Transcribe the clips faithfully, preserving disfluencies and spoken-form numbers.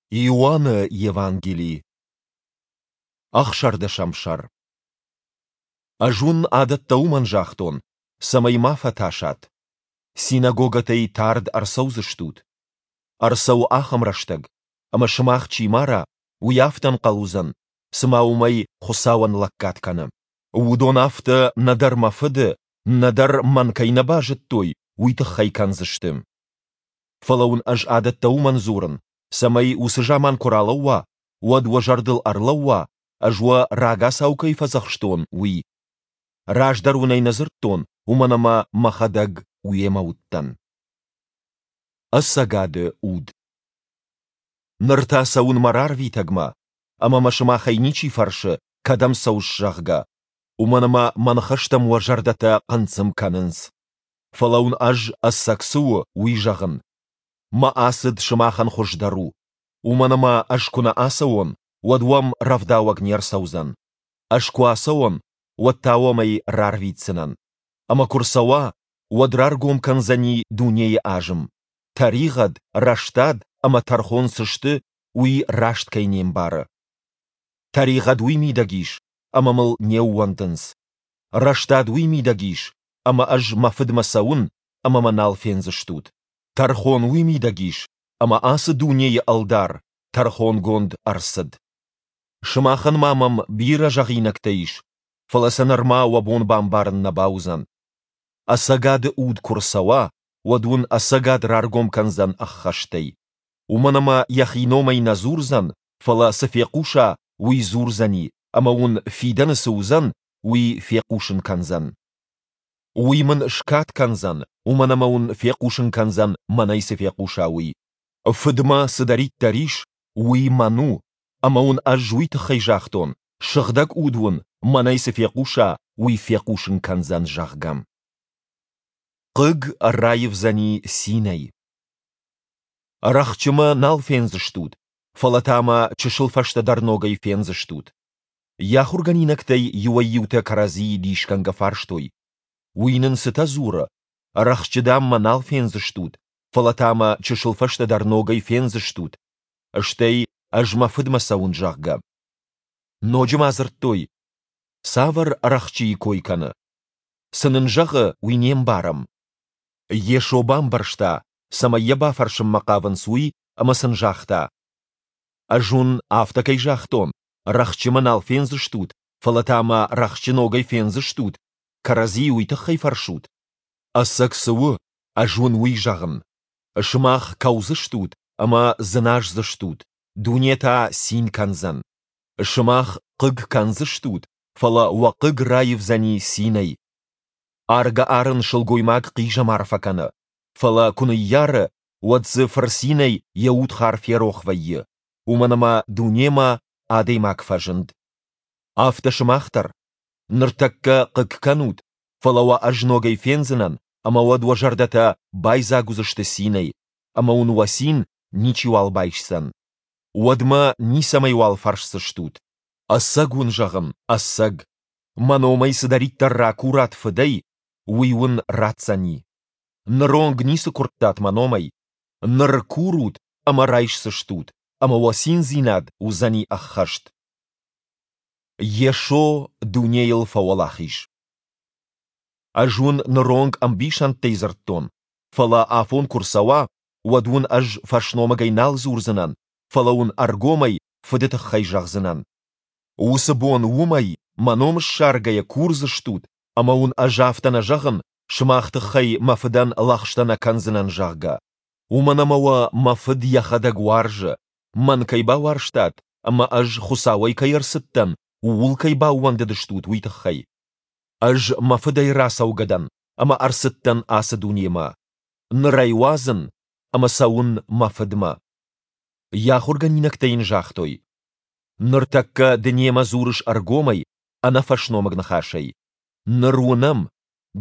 Иоанны Евангели, ӕхсӕрдӕсӕм сӕр. Ӕз уын адӕттӕ уымӕн загътон, цӕмӕй ма фӕтасат. Синагогӕтӕй тард ӕрцӕудзыстут. Ӕрцӕуы ахӕм рӕстӕг, ӕмӕ сымах чи мара, уый афтӕ ӕнхъӕл уыдзӕн, цыма уымӕй Хуыцауӕн лӕггад кӕны. Уыдон афтӕ нӕдӕр мӕ Фыды, нӕдӕр мӕн кӕй нӕ базыдтой, уый тыххӕй кӕндзысты. Фӕлӕ уын ӕз адӕттӕ уымӕн дзурын, цӕмӕй уыцы заман куы ралӕууа, уӕд уӕ зӕрдыл ӕрлӕууа, ӕз уӕ рагацау кӕй фӕдзӕхстон, уый. Раздӕр уын ӕй нӕ дзырдтон, уымӕн ӕмӕ мӕхӕдӕг уемӕ уыдтӕн. Ӕцӕгады уд. Ныр та цӕуын мӕ рарвитӕгмӕ, ӕмӕ мӕ сымахӕй ничи фӕрсы, кӕдӕм цӕуыс, зӕгъгӕ, уымӕн ӕмӕ мӕ ныхӕстӕм уӕ зӕрдӕтӕ хъынцъым кӕнынц. Фӕлӕ уын ӕз, ӕцӕг цы у, уый зӕгъын. Мӕ ацыд сымахӕн хуыздӕр у, уымӕн ӕмӕ ӕз куы нӕ ацӕуон, уӕд уӕм рӕвдауӕг не рцӕудзӕн. Ӕз куы ацӕуон, уӕд та уӕм ӕй рарвитдзынӕн. Ӕмӕ куы рцӕуа, уӕд раргом кӕндзӕни дунейы азым, тӕригъӕд, рӕстад ӕмӕ тӕрхон цы сты, уый раст кӕй не мбары. Тӕригъӕд уый мидӕг ис, ӕмӕ мыл не ууӕндынц. Рӕстад уый мидӕг ис, ӕмӕ ӕз мӕ Фыдмӕ цӕуын, ӕмӕ мӕ нал фендзыстут. Тӕрхон уый мидӕг ис, ӕмӕ ацы дунейы ӕлдар тӕрхонгонд ӕрцыд. Сымахӕн ма мӕм бирӕ зӕгъинӕгтӕ ис, фӕлӕ сӕ нырма уӕ бон бамбарын нӕ бауыдзӕн. Ӕцӕгады уд куы рцӕуа, уӕд уын ӕцӕгад раргом кӕндзӕн ӕххӕстӕй. Уымӕн ӕмӕ йӕхи номӕй нӕ дзурдзӕн, фӕлӕ цы фехъуса, уый дзурдзӕни, ӕмӕ уын фидӕны цы уыдзӕн, уый фехъусын кӕндзӕн. Уый мын скад кӕндзӕн, уымӕн ӕмӕ уын фехъусын кӕндзӕн, мӕнӕй цы фехъуса, уый. Фыдмӕ цыдӕриддӕр ис, уый мӕн у, ӕмӕ уын ӕз уый тыххӕй загътон, Сыгъдӕг Уд уын, мӕнӕй цы фехъуса, уый фехъусын кӕндзӕн, зӕгъгӕ. Хъыг раивдзӕни цинӕй. Рӕхджы мӕ нал фендзыстут, фӕлӕ та мӕ чысыл фӕстӕдӕр ногӕй фендзыстут. Йӕ ахуыргӕнинӕгтӕй иуӕй-иутӕ кӕрӕдзийы дисгӕнгӕ фарстой: Уый нын цытӕ дзуры? Рӕхджы, дам мӕ нал фендзыстут, фӕлӕ та мӕ чысыл фӕстӕдӕр ногӕй фендзыстут, стӕй ӕз мӕ Фыдмӕ цӕуын, зӕгъгӕ. Ноджы ма дзырдтой: Цавӕр рӕхджыйы кой кӕны? Цы нын зӕгъы, уый не мбарӕм. Йесо бамбӕрста, цӕмӕй йӕ бафӕрсынмӕ хъавынц, уый, ӕмӕ сын загъта: Ӕз уын афтӕ кӕй загътон, рӕхджы мӕ нал фендзыстут, фӕлӕ та мӕ рӕхджы ногӕй фендзыстут, кӕрӕдзийы уый тыххӕй фӕрсут? Ӕцӕг цы у, ӕз уын уый зӕгъын. Сымах кӕудзыстут ӕмӕ дзыназдзыстут, дуне та цин кӕндзӕн. Сымах хъыг кӕндзыстут, фӕлӕ уӕ хъыг раивдзӕни цинӕй. Аргӕ-арын сылгоймаг хъизӕмар фӕкӕны, фӕлӕ куы ныййары, уӕд дзы фырцинӕй йӕ удхар ферох вӕййы, уымӕн ӕмӕ дунемӕ адӕймаг фӕзынд. Афтӕ сымах дӕр. Ныртӕккӕ хъыг кӕнут, фӕлӕ уӕ ӕз ногӕй фендзынӕн, ӕмӕ уӕд уӕ зӕрдӕтӕ байдзаг уыдзысты цинӕй, ӕмӕ уын уӕ цин ничиуал байсдзӕн. Уӕд мӕ ницӕмӕйуал фӕрсдзыстут. Ӕцӕг уын зӕгъын, ӕцӕг, мӕ номӕй цыдӕриддӕр ракурат Фыдӕй, уый уын ратдзӕни. Ныронг ницы куырдтат мӕ номӕй. Ныр курут ӕмӕ райсдзыстут, ӕмӕ уӕ циндзинад уыдзӕни ӕххӕст. Йесо дунейыл фӕуӕлахиз. Ӕз уын ныронг ӕмбисӕндтӕй дзырдтон, фӕлӕ афон куы рцӕуа, уӕд уын ӕз фӕсномыгӕй нал дзурдзынӕн, фӕлӕ уын ӕргомӕй Фыды тыххӕй зӕгъдзынӕн. Уыцы бон уымӕй, мӕ ном ссаргӕйӕ, курдзыстут, ӕмӕ уын ӕз афтӕ нӕ зӕгъын, сымах тыххӕй мӕ Фыдӕн лӕгъстӕ нӕ кӕндзынӕн, зӕгъгӕ. Уымӕн ӕмӕ уӕ мӕ Фыд йӕхӕдӕг уарзы, мӕн кӕй бауарзтат ӕмӕ ӕз Хуыцауӕй кӕй ӕрцыдтӕн, ууыл кӕй баууӕндыдыстут, уый тыххӕй. Ӕз мӕ Фыдӕй рацӕугӕ дӕн ӕмӕ ӕрцыдтӕн ацы дунемӕ. Ныр ӕй уадзын ӕмӕ цӕуын мӕ Фыдмӕ. Йӕ ахуыргӕнинӕгтӕ йын загътой: Ныртӕккӕ ды немӕ дзурыс ӕргомӕй, ӕнӕфӕсномыг ныхасӕй. Ныр уынӕм,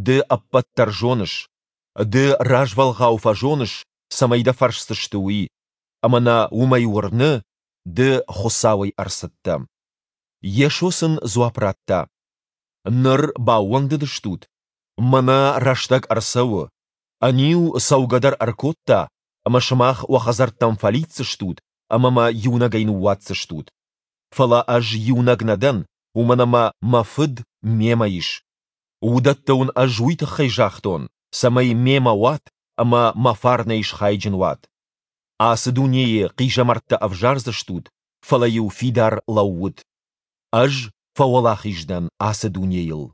ды ӕппӕт дӕр зоныс. Ды развӕлгъау фӕзоныс, цӕмӕй дӕ фӕрсдзысты, уый, ӕмӕ нӕ уымӕй уырны, ды Хуыцауӕй ӕрцыдтӕ. Йесо сын дзуапп радта: Ныр баууӕндыдыстут? Мӕнӕ рӕстӕг ӕрцӕуы. Ӕниу цӕугӕ дӕр ӕркодта, ӕмӕ сымах уӕ хӕдзӕрттӕм фӕлидздзыстут ӕмӕ мӕ иунӕгӕй ныууадздзыстут. Фӕлӕ ӕз иунӕг нӕ дӕн, уымӕн ӕмӕ мӕ Фыд мемӕ ис. Уыдӕттӕ уын ӕз уый тыххӕй загътон, цӕмӕй мемӕ уат ӕмӕ мӕ фарнӕй схайджын уат. Ацы дунейы хъизӕмӕрттӕ ӕвзардзыстут, фӕлӕ-иу фидар лӕуут. Ӕз фӕуӕлахиз дӕн ацы дунейыл.